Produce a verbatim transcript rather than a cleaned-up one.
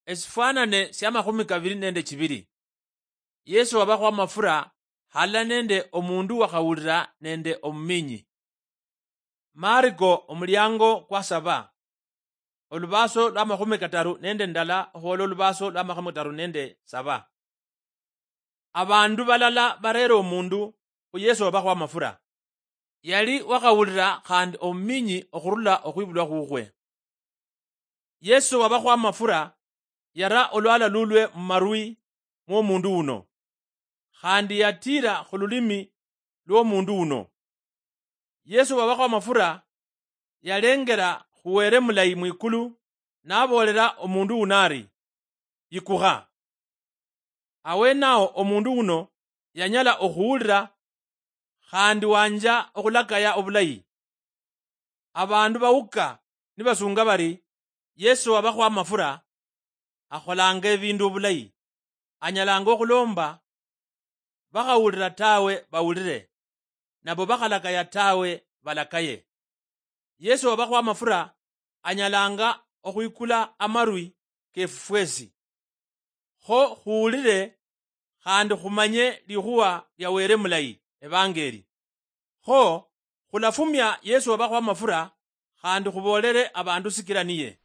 Esifwanane sia makhumi kavili nende chivili. Yesu wavakho amafura halala nende omundu wakhawulila nende omuminyi. Mariko omuliango kwa saba, olubaso lwa makhumi kataru nende ndala okhwola olubaso lwa makhumi kataru nende saba. Abandu balala barera omundu khu Yesu wabakho amafura. Yali wakhawulira khandi omuminyi okhurula okhwibulwa khukhwe. Yesu wabakho amafura yara olwala lulwe mumarwi mwomundu uno, khandi yatiira khululimi lwomundu uno. Yesu wabakho amafura yalengera khu Were mulayi mwikulu, naboolera omundu uno ari, "Yikukha." Awenao omundu uno yanyala okhuwulira khandi wanja okhulakaya obulayi. Abandu bawuka nibasunga bari, "Yesu wabakho amafura akholanga ebindu obulayi, anyalanga okhulomba bakhawulira tawe bawulire, nabo bakhalakaya tawe balakaye." Yesu wabakho amafura anyalanga okhwikula amarwi kefu fwesi, kho khuwulire khandi khumanye likhuwa lia Were mulayi, evangeli. Kho khulafumia Yesu wabakho amafura khandi khubolere abandu sikila niye.